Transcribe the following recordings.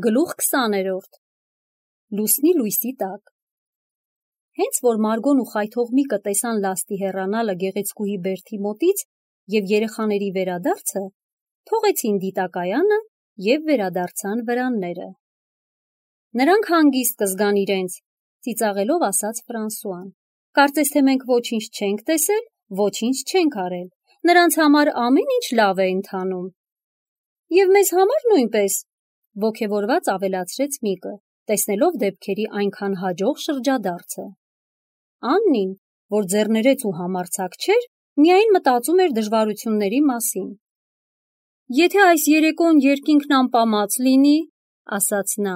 Գլուխ 20-րդ Լուսնի լույսի տակ Հենց որ Մարգոն ու Խայթողմիկը տեսան լաստի հեռանալը գեղեցկուհի Բերթի մոտից և երեխաների վերադարձը, թողեցին դիտակայանը և վերադարձան վրանները։ Նրանք հանգիստ կզգան իրենց, ծիծաղելով ասաց Ֆրանսուան։ Կարծես թե մենք ոչինչ չենք տեսել, ոչինչ չենք արել, նրանց համար ամեն ինչ լավ է ընթանում։ Եվ մեզ համար նույնպես, ոգևորված ավելացրեց Միկը, տեսնելով դեպքերի այնքան հաջող շրջադարձը։ Աննին, որ ձեռներեց ու համարձակ չէր, միայն մտածում էր դժվարությունների մասին։ Եթե այս երեկոն երկինքն անպամած լինի, ասաց նա,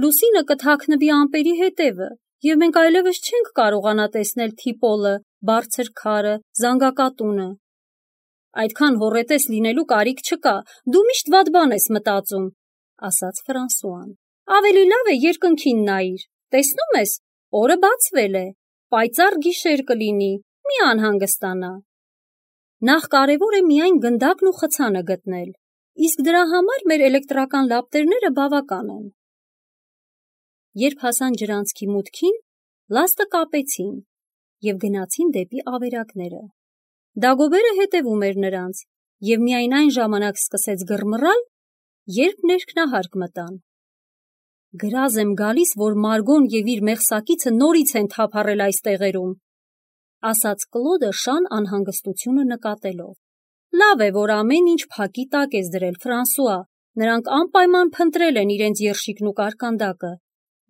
լուսինը կթաքնվի ամպերի հետևը, և մենք այլևս չենք կարողանա տեսնել թիպոլը, բարձր քարը, զանգակատունը։ Այդքան հոռետես լինելու կարիք չկա, դու միշտ վատ բան ես մտածում, ասաց Ֆրանսուան։ Ավելի լավ է երկնքին նայիր, տեսնում ես, օրը բացվել է, պայծառ գիշեր կլինի, մի անհանգստանա։ Նախ կարևոր է միայն գնդակն ու խցանը գտնել, իսկ դրա համար մեր էլեկտրական լապտերները բավական են։ Երբ հասան ջրանցքի մուտքին, լաստը կապեցին և գնացին դեպի ավերակները։ Դագոբերը հետևում էր նրանց և միայն այն ժամանակ սկսեց գռմռալ, երբ ներքնահարկ մտան։ Գրազ եմ գալիս, որ Մարգոն և իր մեղսակիցը նորից են թափառել այս տեղերում, ասաց Կլոդը շան անհանգստությունը նկատելով։ Լավ է, որ ամեն ինչ փակի տակ ես դրել, Ֆրանսուଆ, նրանք անպայման փնտրել են իրենց երշիկն ու կարկանդակը։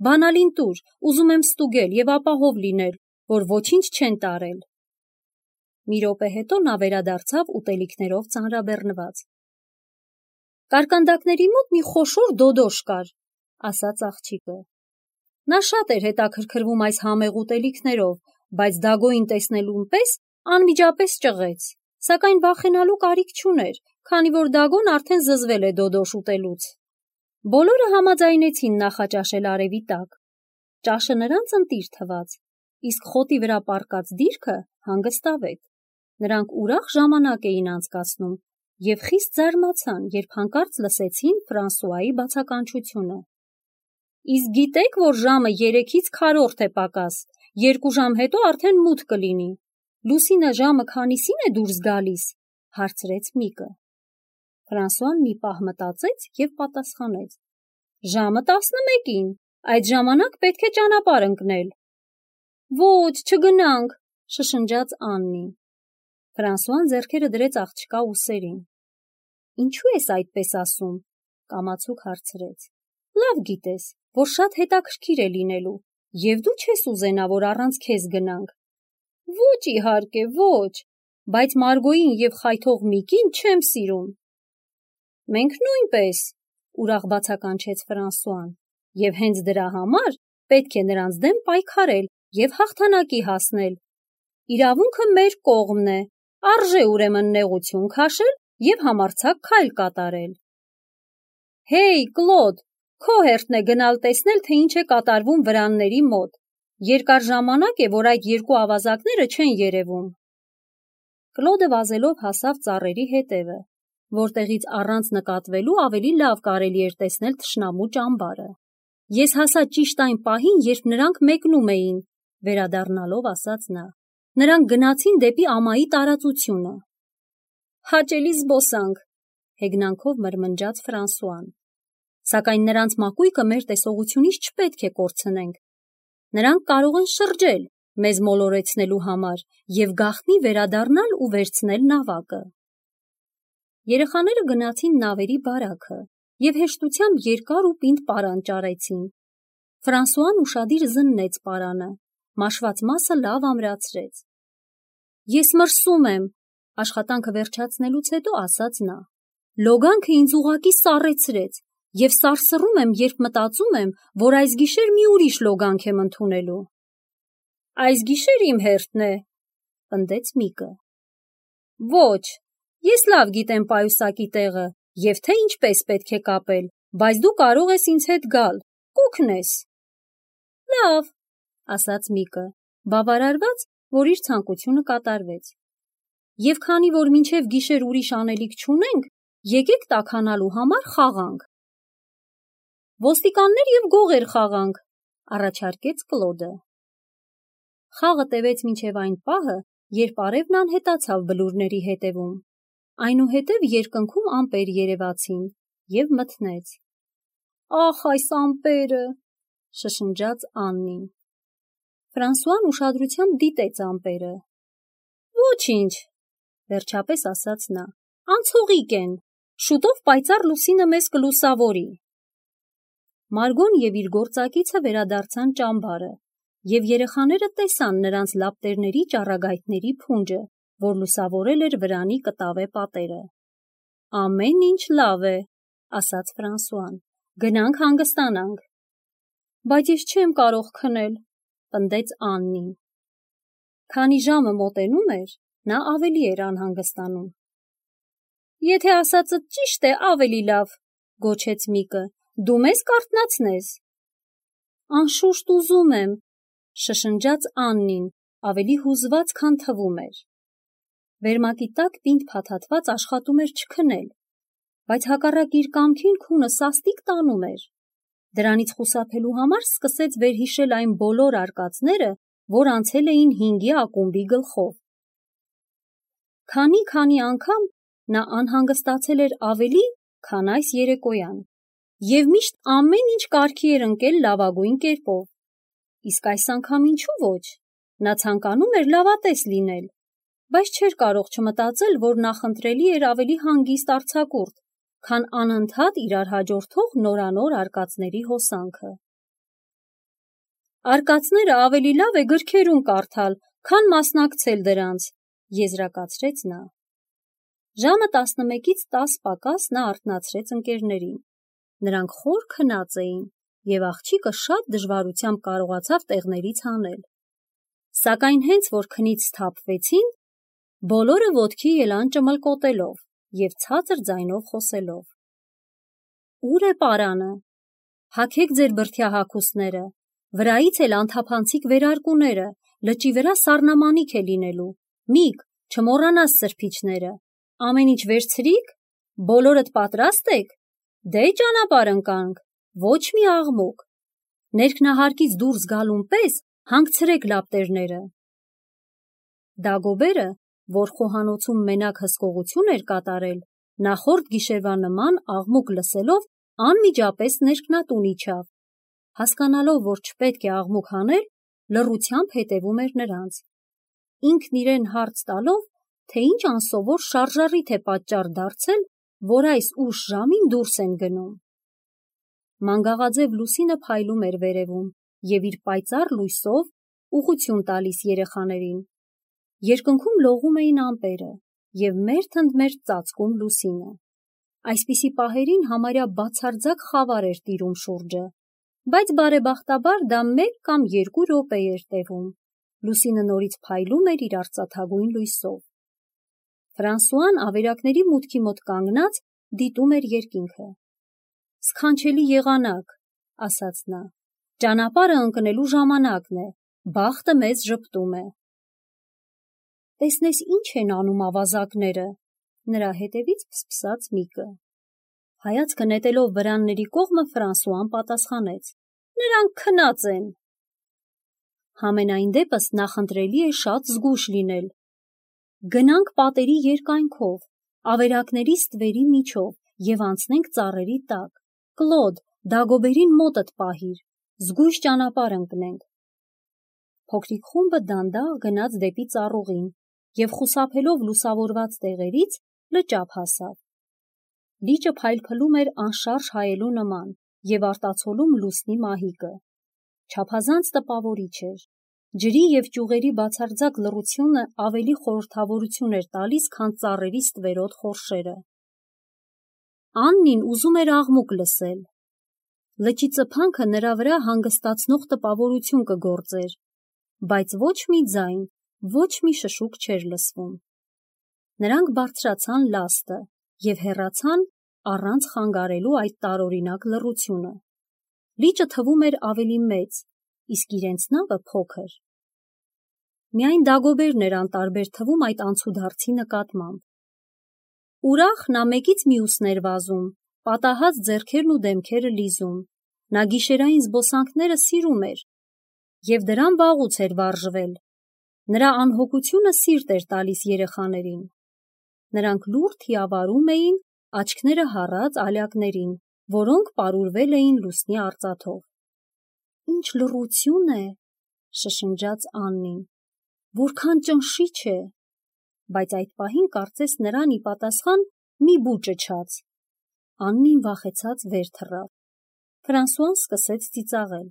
Բանալին տուր, ուզում եմ ստուգել և ապահով լինել, որ ոչինչ չեն տարել։ Մի րոպե հետո նա վերադարձավ ուտելիքներով ծանրաբեռնված։ Կարկանդակների մոտ մի խոշոր դոդոշ կար, ասաց աղջիկը։ Նա շատ էր հետաքրքրվում այս համեղ ուտելիքներով, բայց Դագոյին տեսնելուն պես անմիջապես ճղեց, սակայն վախենալու կարիք չուներ, քանի որ Դագոն արդեն զզվել է դոդոշ ուտելուց։ Բոլորը համաձայնեցին նախաճաշել արևի տակ։ Ճաշը նրանց ընտիր թվաց, իսկ խոտի վրա պառկած դիրքը հանգստավետ։ Նրանք ուրախ ժամանակ էին անցկացնում և խիստ զարմացան, երբ հանկարծ լսեցին Ֆրանսուայի բացականչությունը։ Իսկ գիտեք, որ ժամը 3-ից քառորդ է պակաս, 2 ժամ հետո արդեն մութ կլինի։ Լուսինը ժամը քանիսին է դուրս գալիս, հարցրեց Միկը։ Ֆրանսուան մի պահ մտածեց և պատասխանեց. Ժամը 11-ին, այդ ժամանակ պետք է ճանապարհ ընկնել։ Ոչ, չգնանք, շշնջաց Աննին։ Ֆրանսուան ձեռքերը դրեց աղջկա ուսերին։ Ինչու ես այդպես ասում, կամացուկ հարցրեց։ Լավ գիտես, որ շատ հետաքրքիր է լինելու, և դու չես ուզենա, որ առանց քեզ գնանք։ Ոչ իհարկե, ոչ, բայց Մարգոյին և Խայթողմիկին չեմ սիրում։ Մենք նույնպես, ուրախ բացականչեց Ֆրանսուան, և հենց դրա համար պետք է նրանց դեմ պայքարել և հաղթանակի հասնել։ Իրավունքը մեր կողմն է, արժե ուրեմն նեղություն քաշել և համարձակ քայլ կատարել։ Հեյ, Կլոդ, քո հերթն է գնալ տեսնել, թե ինչ է կատարվում վրանների մոտ։ Երկար ժամանակ է, որ այդ երկու ավազակները չեն երևում։ Կլոդը վազելով հասավ ծառերի հետևը, որտեղից առանց նկատվելու ավելի լավ կարելի էր տեսնել թշնամու ճամբարը։ Ես հասա ճիշտ այն պահին, երբ նրանք մեկնում էին, վերադառնալով ասաց նա։ Նրանք գնացին դեպի ամայի տարածությունը։ Հաճելի զբոսանք, հեգնանքով մրմնջաց Ֆրանսուան։ Սակայն նրանց մակույկը մեր տեսողությունից չպետք է կորցնենք։ Նրանք կարող են շրջել, մեզ մոլորեցնելու համար և գաղտնի վերադառնալ ու վերցնել նավակը։ Երեխաները գնացին նավերի բարաքը և հեշտությամբ երկար ու պինդ պարան ճարեցին։ Ֆրանսուան ուշադիր զննեց պարանը, մաշված մասը լավ ամրացրեց։ Ես մրսում եմ, աշխատանքը վերջացնելուց հետո ասաց նա։ Լոգանքը ինձ ուղղակի սառեցրեց և սարսռում եմ, երբ մտածում եմ, որ այս գիշեր մի ուրիշ լոգանք եմ ընդունելու։ Այս գիշեր իմ հերթն է, պնդեց Միկը։ Ոչ, ես լավ գիտեմ պայուսակի տեղը և թե ինչպես պետք է կապել, բայց դու կարող ես ինձ հետ գալ, կօգնես։ Լավ, ասաց Միկը, բավարարված, որ իր ցանկությունը կատարվեց։ Եվ քանի որ մինչև գիշեր ուրիշ անելիք չունենք, եկեք տաքանալու համար խաղանք։ Ոստիկաններ և գողեր խաղանք, առաջարկեց Կլոդը։ Խաղը տևեց մինչև այն պահը, երբ արևն անհետացավ բլուրների հետևում, այնուհետև երկնքում ամպեր երևացին և մթնեց։ Ախ, այս ամպերը, շշնջաց Աննին։ Ֆրանսուան ուշադրությամբ դիտեց ամպերը։ Ոչինչ, վերջապես ասաց նա, անցողիկ են, շուտով պայծառ լուսինը մեզ կլուսավորի։ Մարգոն և իր գործակիցը վերադարձան ճամբարը, և երեխաները տեսան նրանց լապտերների ճառագայթների փունջը, որ լուսավորել էր վրանի կտավե պատերը։ Ամեն ինչ լավ է, ասաց Ֆրանսուան, գնանք հանգստանանք։ Բայց ես չեմ կարող քնել, պնդեց Աննին։ Քանի ժամը մոտենում էր, նա ավելի էր անհանգստանում։ Եթե ասածդ ճիշտ է, ավելի լավ, գոչեց Միկը, դու մեզ կարթնացնես։ Անշուշտ ուզում եմ, շշնջաց Աննին, ավելի հուզված, քան թվում էր։ Վերմակի տակ պինդ փաթաթված աշխատում էր չքնել, բայց հակառակ իր կամքին քունը սաստիկ տանում էր։ Դրանից խուսափելու համար սկսեց վերհիշել այն բոլոր արկածները, որ անցել էին 5-ի ակումբի գլխով։ Քանի անգամ նա անհանգստացել էր ավելի, քան այս երեկոյան, և միշտ ամեն ինչ կարգի էր ընկել լավագույն կերպով։ Իսկ այս անգամ ինչու ոչ, նա ցանկանում էր լավատես լինել, բայց չէր կարող չմտածել, որ նախընտրելի էր ավելի հանգիստ արձակուրդ, քան անընդհատ իրար հաջորդող նորանոր արկածների հոսանքը։ Արկածները ավելի լավ է գրքերում կարդալ, քան մասնակցել դրանց, եզրակացրեց նա։ Ժամը 11-ից 10 պակաս նա արթնացրեց ընկերներին։ Նրանք խոր քնած էին, և աղջիկը շատ դժվարությամբ կարողացավ տեղներից հանել։ Սակայն հենց որ քնից սթափվեցին, բոլորը ոտքի ելան ճմլկոտելով և ցածր ձայնով խոսելով։ Ուր է պարանը։ Հագեք ձեր բրդյա հագուստները, վրայից էլ անթափանցիկ վերարկուները, լճի վրա սառնամանիք է լինելու։ Միկ, չմոռանաս սրբիչները։ Ամեն ինչ վերցրի՞ք։ Բոլորդ պատրաստ եք։ Դե ճանապարհ ընկանք, ոչ մի աղմուկ։ Ներքնահարկից դուրս գալուն պես հանգցրեք լապտերները։ Դագոբերը, որ խոհանոցում մենակ հսկողություն էր կատարել, նախորդ գիշերվա նման աղմուկ լսելով անմիջապես ներքնատուն իջավ։ Հասկանալով, որ չպետք է աղմուկ հանել, լռությամբ հետևում էր նրանց։ Ինքն իրեն հարց տալով, թե ինչ անսովոր շարժառիթ է պատճառ դարձել, որ այս ուշ ժամին դուրս են գնում։ Մանգաղաձև լուսինը փայլում էր վերևում և իր պայծառ լույսով ուղղություն տալիս երեխաներին։ Երկնքում լողում էին ամպերը և մերթընդմերթ ծածկում լուսինը։ Այսպիսի պահերին համարյա բացարձակ խավար էր տիրում շուրջը, բայց բարեբախտաբար դա 1 կամ 2 րոպե էր տևում։ Լուսինը նորից փայլում էր իր արծաթագույն լույսով։ Ֆրանսուան ավերակների մուտքի մոտ կանգնած դիտում էր երկինքը։ Սքանչելի եղանակ, ասաց նա, ճանապարհը ընկնելու ժամանակն է, բախտը մեզ ժպտում է։ Տեսնես ինչ են անում ավազակները, նրա հետևից փսփսաց Միկը։ Հայացքը նետելով վրանների կողմը Ֆրանսուան պատասխանեց. Նրանք քնած են։ Համենայն դեպս նախընտրելի է շատ զգույշ լինել։ Գնանք պատերի երկայնքով, ավերակների ստվերի միջով և անցնենք ծառերի տակ։ Կլոդ, Դագոբերին մոտդ պահիր, զգույշ ճանապարհ ընկնենք։ Փոքրիկ խումբը դանդաղ գնաց դեպի ծառուղին և խուսափելով լուսավորված տեղերից լճափ հասավ։ Լիճը փայլփլում էր անշարժ հայելու նման և արտացոլում լուսնի մահիկը։ Չափազանց տպավորիչ էր։ Ջրի և ճյուղերի բացարձակ լռությունը ավելի խորհրդավորություն էր տալիս, քան ծառերի ստվերոտ խորշերը։ Աննին ուզում էր աղմուկ լսել։ Լճի ծփանքը նրա վրա հանգստացնող տպավորություն կգործեր, բայց ոչ մի ձայն, ոչ մի շշուկ չէր լսվում։ Նրանք բարձրացան լաստը և հեռացան առանց խանգարելու այդ տարօրինակ լռությունը։ Լիճը թվում էր ավելի մեծ, իսկ իրենց նավը փոքր։ Միայն Դագոբերն էր անտարբեր թվում այդ անցուդարձի նկատմամբ։ Ուրախ նա մեկից մյուսն էր վազում, պատահած ձեռքերն ու դեմքերը լիզում, Նա գիշերային զբոսանքները սիրում էր և դրան վաղուց էր վարժվել։ Նրա անհոգությունը սիրտ էր տալիս երեխաներին։ Նրանք լուռ թիավարում էին աչքները հառած ալյակներին, որոնք պարուրվել էին լուսնի արծաթով։ «Ինչ լռություն է», շշնջաց Աննին, «որքան ճնշիչ է», բայց այդ պահին կարծես նրան ի պատասխան մի բու ճչաց։ Աննին վախեցած վեր թռավ։ Ֆրանսուան սկսեց ծիծաղել։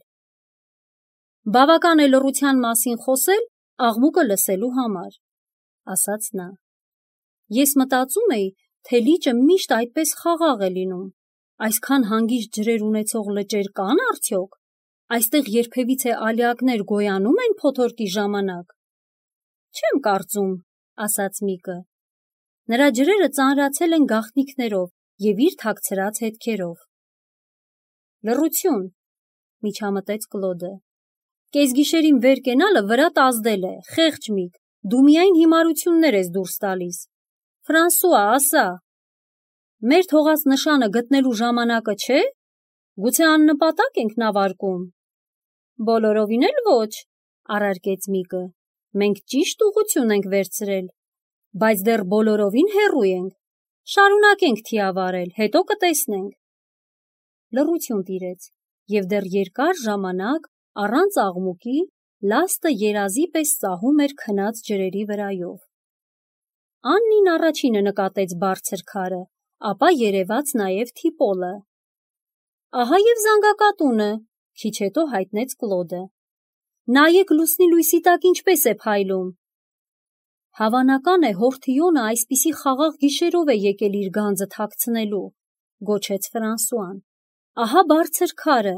«Բավական է լռության մասին խոսել աղմուկը լսելու համար», ասաց նա։ «Ես մտածում էի, թե լիճը միշտ այդպես խաղաղ է լինում։ Այսքան հանգիստ ջրեր ունեցող լճեր կան արդյոք։ Այստեղ երբևիցե ալյակներ գոյանում են փոթորկի ժամանակ»։ «Չեմ կարծում», ասաց Միկը։ Նրա ջրերը ծանրացել են գաղտնիքներով և իր թաքցրած հետքերով։ «Լռություն», միջամտեց Կլոդը։ «Կեսգիշերին վեր կենալը վրատ ազդել է, խեղճ Միկ, դու միայն հիմարություններ ես դուրս տալիս։ Ֆրանսուଆ, ասա, մեր թողած նշանը գտնելու ժամանակը չէ՞։ Գուցե աննպատակ ենք նավարկում»։ «Բոլորովին էլ ոչ», առարկեց Միկը։ «Մենք ճիշտ ուղղություն ենք վերցրել, բայց դեռ բոլորովին հեռու ենք։ Շարունակենք թիավարել, հետո կտեսնենք»։ Լռություն տիրեց, և դեռ երկար ժամանակ առանց աղմուկի լաստը երազի պես ծահում էր քնած ջրերի վրայով։ Աննին առաջինը նկատեց բարձր քարը, ապա երևաց նաև թիպոլը։ «Ահա և զանգակատունը», քիչ հետո հայտնեց Կլոդը։ «Նայեք լուսնի լույսի տակ ինչպես է փայլում»։ «Հավանական է հորթիոնը այսպիսի խաղաղ գիշերով է եկել իր գանձը թաքցնելու», գոչեց Ֆրանսուան։ «Ահա բարձր քարը,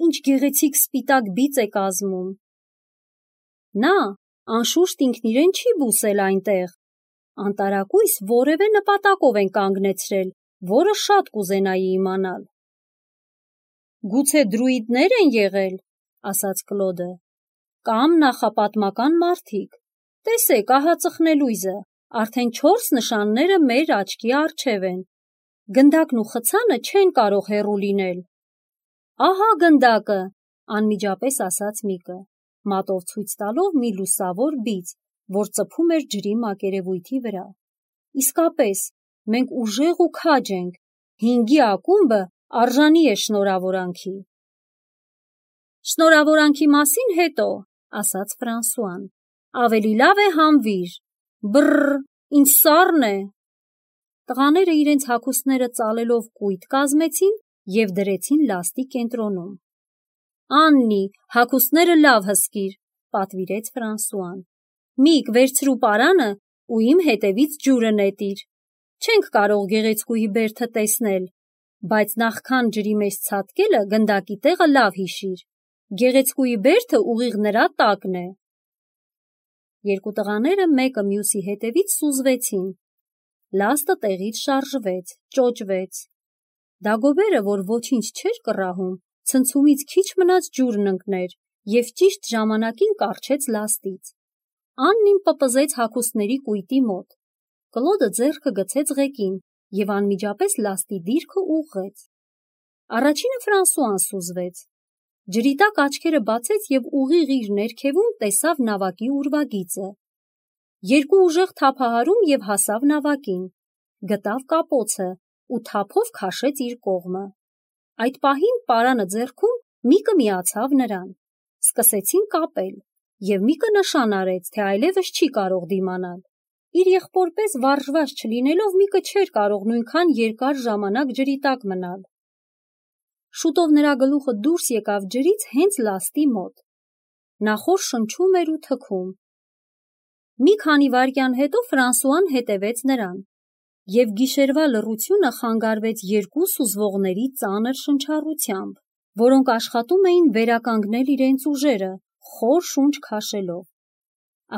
ինչ գեղեցիկ սպիտակ բիծ է կազմում»։ Նա, անշուշտ, ինքն իրեն չի բուսել այնտեղ։ Անտարակույս որևէ նպատակով են կանգնեցրել, որը շատ կուզենայի իմանալ։ «Գուցե դրուիդներ են եղել», ասաց Կլոդը, «կամ նախապատմական մարդիկ։ Տեսեք, ահա ծխնելույզը, արդեն 4 նշանները մեր աչքի առջև են։ Գնդակն ու խցանը չեն կարող հեռու լինել»։ «Ահա գնդակը», անմիջապես ասաց Միկը, մատով ցույց տալով մի լուսավոր բիծ, որ ծփում էր ջրի մակերևույթի վրա։ «Իսկապես, մենք ուժեղ ու քաջ ենք, 5-ի ակումբը արժանի է շնորհավորանքի»։ «Շնորհավորանքի մասին հետո», ասաց Ֆրանսուան, «ավելի լավ է հանվիր։ Բռռ, ինչ սառն է»։ Տղաները իրենց հագուստները ծալելով կույտ կազմեցին և դրեցին լաստի կենտրոնում։ «Աննի, հագուստները լավ հսկիր», պատվիրեց Ֆրանսուան։ «Միկ, վերցրու պարանը ու իմ հետևից ջուրը նետիր։ Չենք կարող գեղեցկուհի բերդը տեսնել, բայց նախքան ջրի մեջ ցատկելը գնդակի տեղը լավ հիշիր։ Գեղեցկուհի բերդը ուղիղ նրա տակն է»։ Երկու տղաները մեկը մյուսի հետևից սուզվեցին։ Լաստը տեղից շարժվեց, ճոճվեց։ Դագոբերը, որ ոչինչ չէր կռահում, ցնցումից քիչ մնաց ջուրն ընկներ և ճիշտ ժամանակին կառչեց լաստից։ Աննին պպզեց հագուստների կույտի մոտ։ Կլոդը ձեռքը գցեց ղեկին և անմիջապես լաստի դիրքը ուղղեց։ Առաջինը Ֆրանսուան սուզվեց։ Ջրի տակ աչքերը բացեց և ուղիղ իր ներքևում տեսավ նավակի ուրվագիծը։ Երկու ուժեղ թափահարում և հասավ նավակին։ Գտավ կապոցը ու թափով քաշեց իր կողմը։ Այդ պահին պարանը ձեռքում Միկը միացավ նրան։ Սկսեցին կապել, և Միկը նշան արեց, թե այլևս չի կարող դիմանալ։ Իր եղբոր պես վարժված չլինելով Միկը չէր կարող նույնքան երկար ժամանակ ջրի տակ մնալ։ Շուտով նրա գլուխը դուրս եկավ ջրից հենց լաստի մոտ։ Նա խոր շնչում էր ու թքում։ Մի քանի վայրկյան հետո Ֆրանսուան հետևեց նրան, և գիշերվա լռությունը խանգարվեց երկու սուզվողների ծանր շնչառությամբ, որոնք աշխատում էին վերականգնել իրենց ուժերը, խոր շունչ քաշելով։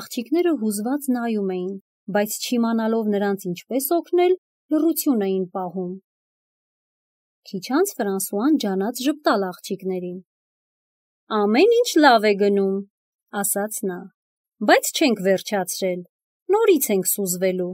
Աղջիկները հուզված նայում էին, բայց չիմանալով նրանց ինչպես օգնել, լռություն էին պահում։ Քիչ անց Ֆրանսուան ջանաց ժպտալ աղջիկներին։ «Ամեն ինչ լավ է գնում», ասաց նա, «բայց չենք վերջացրել, նորից ենք սուզվելու»։